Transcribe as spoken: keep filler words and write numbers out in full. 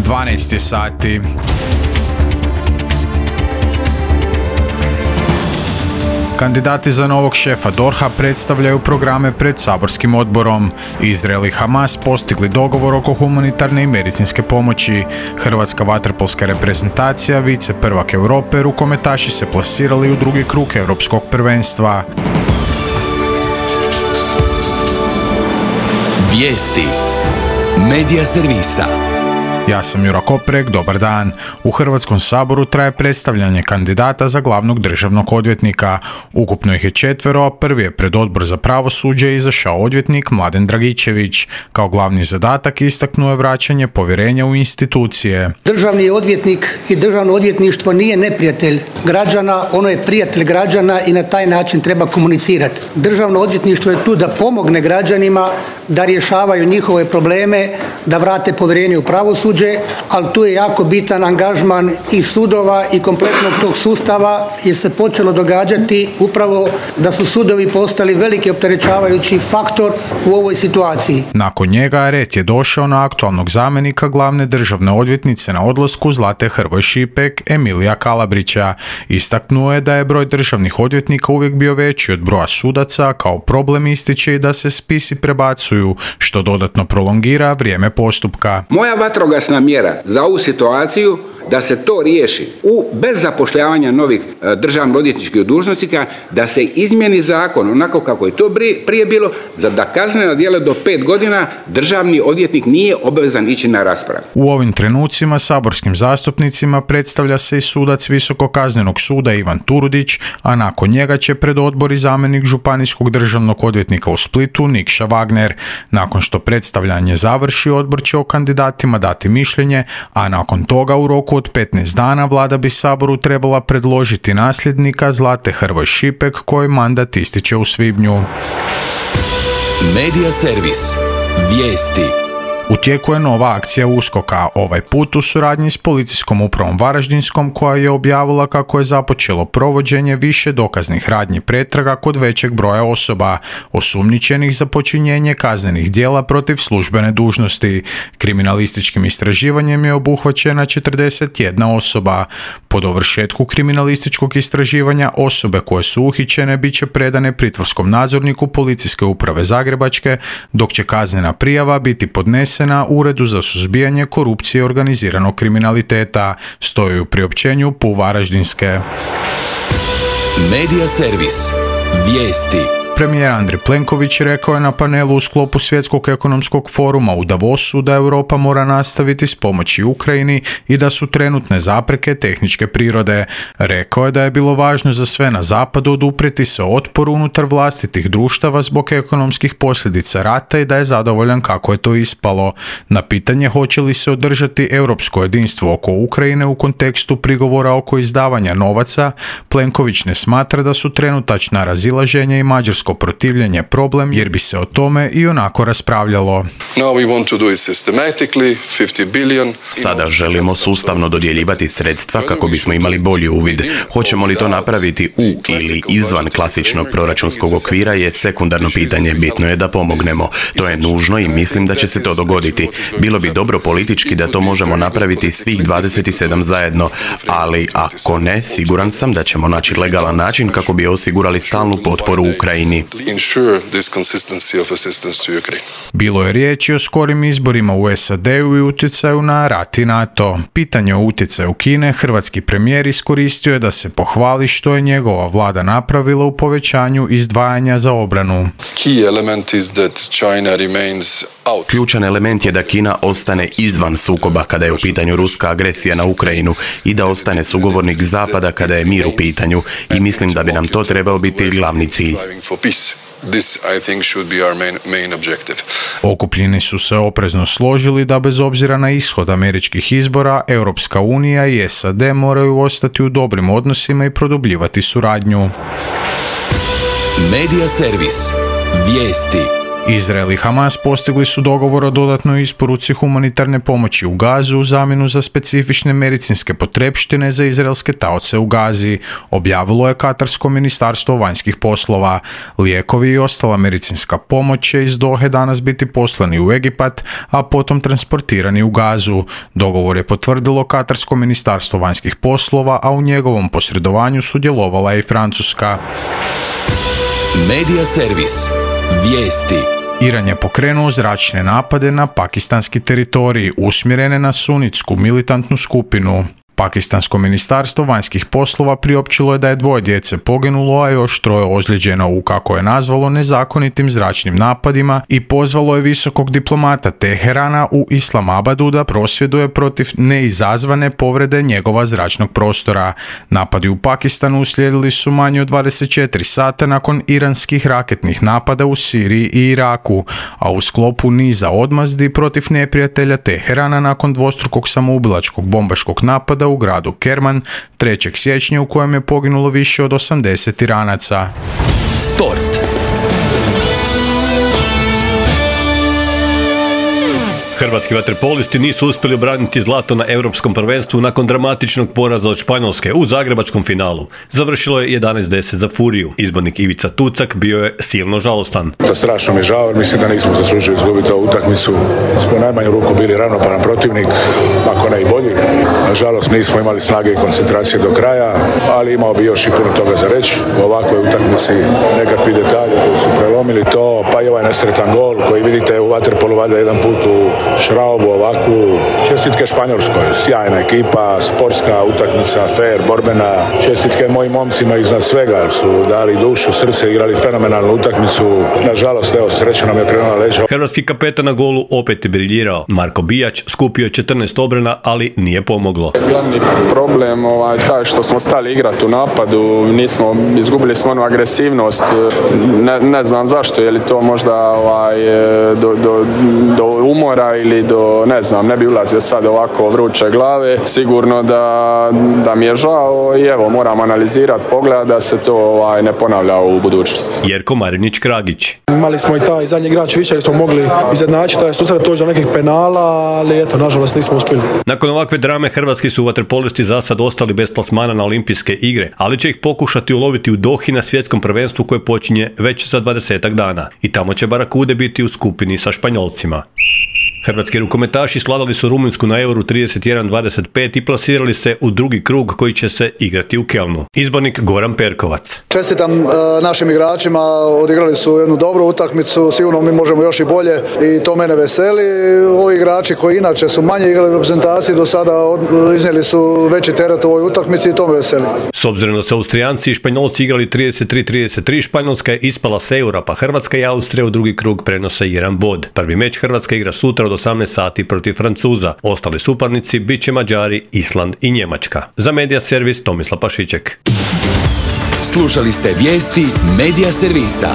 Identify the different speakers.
Speaker 1: dvanaest je sati. Kandidati za novog šefa D O R H-a predstavljaju programe pred saborskim odborom. Izrael i Hamas postigli dogovor oko humanitarne i medicinske pomoći. Hrvatska vaterpolska reprezentacija, vice prvak Europe, rukometaši se plasirali u drugi krug europskog prvenstva.
Speaker 2: Vijesti Medija servisa.
Speaker 1: Ja sam Jura Koprek, dobar dan. U Hrvatskom saboru traje predstavljanje kandidata za glavnog državnog odvjetnika. Ukupno ih je četvero, a prvi je pred Odbor za pravosuđe izašao odvjetnik Mladen Dragičević. Kao glavni zadatak istaknuo je vraćanje povjerenja u institucije.
Speaker 3: Državni odvjetnik i državno odvjetništvo nije neprijatelj građana, ono je prijatelj građana i na taj način treba komunicirati. Državno odvjetništvo je tu da pomogne građanima da rješavaju njihove probleme, da vrate povjerenje u pravosuđe, ali tu je jako bitan angažman i sudova i kompletnog tog sustava, jer se počelo događati upravo da su sudovi postali veliki opterećavajući faktor u ovoj situaciji.
Speaker 1: Nakon njega red je došao na aktualnog zamjenika glavne državne odvjetnice na odlasku Zlate Hrvoj Šipek, Emilija Kalabrića. Istaknuo je da je broj državnih odvjetnika uvijek bio veći od broja sudaca, kao problem ističe i da se spisi prebacuju, što dodatno prolongira vrijeme postupka.
Speaker 4: Moja vatrogasna mjera za ovu situaciju da se to riješi u, bez zapošljavanja novih e, državno odvjetničkih dužnosnika, da se izmijeni zakon onako kako je to prije bilo, za da kaznena djela do pet godina državni odvjetnik nije obavezan ići na raspravu.
Speaker 1: U ovim trenucima saborskim zastupnicima predstavlja se i sudac Visokog kaznenog suda Ivan Turudić, a nakon njega će pred odbor i zamjenik županijskog državnog odvjetnika u Splitu Nikša Wagner. Nakon što predstavljanje završi, odbor će o kandidatima dati mišljenje, a nakon toga u roku od petnaest dana vlada bi Saboru trebala predložiti nasljednika Zlate Hrvoj Šipek, koji mandat ističe u svibnju.
Speaker 2: Medija servis. Vijesti.
Speaker 1: U tijeku je nova akcija USKOK-a, ovaj put u suradnji s policijskom upravom Varaždinskom, koja je objavila kako je započelo provođenje više dokaznih radnji pretraga kod većeg broja osoba, osumnjičenih za počinjenje kaznenih djela protiv službene dužnosti. Kriminalističkim istraživanjem je obuhvaćena četrdeset jedna osoba. Po dovršetku kriminalističkog istraživanja osobe koje su uhićene bit će predane pritvorskom nadzorniku Policijske uprave Zagrebačke, dok će kaznena prijava biti podnesena na Uredu za suzbijanje korupcije i organiziranog kriminaliteta, stoji u priopćenju P U Varaždinske.
Speaker 2: Medija servis. Vijesti.
Speaker 1: Premijer Andrej Plenković rekao je na panelu u sklopu Svjetskog ekonomskog foruma u Davosu da Europa mora nastaviti s pomoći Ukrajini i da su trenutne zapreke tehničke prirode. Rekao je da je bilo važno za sve na zapadu oduprijeti se otporu unutar vlastitih društava zbog ekonomskih posljedica rata i da je zadovoljan kako je to ispalo. Na pitanje hoće li se održati europsko jedinstvo oko Ukrajine u kontekstu prigovora oko izdavanja novaca, Plenković ne smatra da su trenutačna razilaženja i mađarsko protivljenje problem, jer bi se o tome i onako raspravljalo.
Speaker 5: Sada želimo sustavno dodjeljivati sredstva kako bismo imali bolji uvid. Hoćemo li to napraviti u ili izvan klasičnog proračunskog okvira je sekundarno pitanje. Bitno je da pomognemo. To je nužno i mislim da će se to dogoditi. Bilo bi dobro politički da to možemo napraviti svih dvadeset sedam zajedno, ali ako ne, siguran sam da ćemo naći legalan način kako bi osigurali stalnu potporu Ukrajini.
Speaker 1: Bilo je riječi o skorim izborima u S A D-u i utjecaju na rat i NATO. Pitanje o utjecaju Kine hrvatski premijer iskoristio je da se pohvali što je njegova vlada napravila u povećanju izdvajanja za obranu.
Speaker 5: Ključan element je da Kina ostane izvan sukoba kada je u pitanju ruska agresija na Ukrajinu i da ostane sugovornik Zapada kada je mir u pitanju, i mislim da bi nam to trebao biti glavni cilj.
Speaker 6: This, I think, should be our main, main objective.
Speaker 1: Okupljeni su se oprezno složili da bez obzira na ishod američkih izbora, Europska unija i S A D moraju ostati u dobrim odnosima i produbljivati suradnju.
Speaker 2: Medija servis. Vijesti.
Speaker 1: Izrael i Hamas postigli su dogovor o dodatnoj isporuci humanitarne pomoći u Gazu u zamjenu za specifične medicinske potrepštine za izraelske taoce u Gazi, objavilo je Katarsko ministarstvo vanjskih poslova. Lijekovi i ostala medicinska pomoć će iz Dohe danas biti poslani u Egipat, a potom transportirani u Gazu. Dogovor je potvrdilo Katarsko ministarstvo vanjskih poslova, a u njegovom posredovanju sudjelovala je i Francuska.
Speaker 2: Medija servis. Vijesti.
Speaker 1: Iran je pokrenuo zračne napade na pakistanski teritorij usmjerene na sunitsku militantnu skupinu. Pakistansko ministarstvo vanjskih poslova priopćilo je da je dvoje djece poginulo, a još troje ozlijeđeno u, kako je nazvalo, nezakonitim zračnim napadima i pozvalo je visokog diplomata Teherana u Islamabadu da prosvjeduje protiv neizazvane povrede njegova zračnog prostora. Napadi u Pakistanu uslijedili su manje od dvadeset četiri sata nakon iranskih raketnih napada u Siriji i Iraku, a u sklopu niza odmazdi protiv neprijatelja Teherana nakon dvostrukog samoubilačkog bombaškog napada u gradu Kerman trećeg siječnja u kojem je poginulo više od osamdeset Iranaca.
Speaker 2: Sport.
Speaker 7: Hrvatski vaterpolisti nisu uspjeli obraniti zlato na europskom prvenstvu nakon dramatičnog poraza od Španjolske u zagrebačkom finalu. Završilo je jedanaest deset za Furiju. Izbornik Ivica Tucak bio je silno žalostan.
Speaker 8: To strašno mi je žao, mislim da nismo zaslužili izgubiti ovu utakmicu. Smo u najmanju ruku bili ravnopravan protivnik, ako ne i bolji. Nažalost nismo imali snage i koncentracije do kraja, ali imao bi još i puno toga za reći. U ovakvoj utakmici nekakvi detalji koji su prelomili to, pa i ovaj nesretan gol koji vidite u vaterpolu valjda jedan put u Šraubu ovakvu. Čestitke Španjolskoj, sjajna ekipa, sportska utakmica, fair, borbena. Čestitke mojim momcima iznad svega, su dali dušu, srce, igrali fenomenalnu utakmicu. Nažalost, evo, sreća nam je krenula leđa.
Speaker 7: Hrvatski kapetan na golu opet je briljirao. Marko Bijać skupio je četrnaest obrana, ali nije pomoglo.
Speaker 9: Glavni problem ovaj, taj što smo stali igrati u napadu, nismo, izgubili smo onu agresivnost. Ne, ne znam zašto, je li to možda ovaj, do, do, do umora ili do, ne znam, ne bi ulazio sad ovako vruće glave. Sigurno da, da mi je žao i evo, moram analizirati, pogledati da se to ovaj, ne ponavlja u budućnosti.
Speaker 7: Jerko Marinić-Kragić.
Speaker 10: Imali smo i taj zadnji igrač više, jer smo mogli izjednačiti taj susret, doći do nekih penala, ali eto, nažalost nismo uspjeli.
Speaker 7: Nakon ovakve drame hrvatski su vaterpolisti za sad ostali bez plasmana na olimpijske igre, ali će ih pokušati uloviti u Dohi na svjetskom prvenstvu koje počinje već za dvadesetak dana. I tamo će Barakude biti u skupini sa Španjolcima. Hrvatski rukometaši svladali su Rumunjsku na Euru trideset jedan dvadeset pet i plasirali se u drugi krug koji će se igrati u Kelnu. Izbornik Goran Perkovac.
Speaker 11: Čestitam e, našim igračima, odigrali su jednu dobru utakmicu, sigurno mi možemo još i bolje i to mene veseli. Ovi igrači koji inače su manje igrali u reprezentaciji do sada od, iznijeli su veći teret u ovoj utakmici i to me veseli.
Speaker 7: S obzirom da su Austrijanci i Španjolci igrali trideset tri trideset tri, Španjolska je ispala s Eura, pa Hrvatska i Austrija u drugi krug prenose jedan bod. Prvi meč Hrvatska igra sutra od osamnaest sati protiv Francuza. Ostali suparnici bit će Mađari, Island i Njemačka. Za Medija servis Tomislav Pašiček.
Speaker 2: Slušali ste vijesti Medija servisa.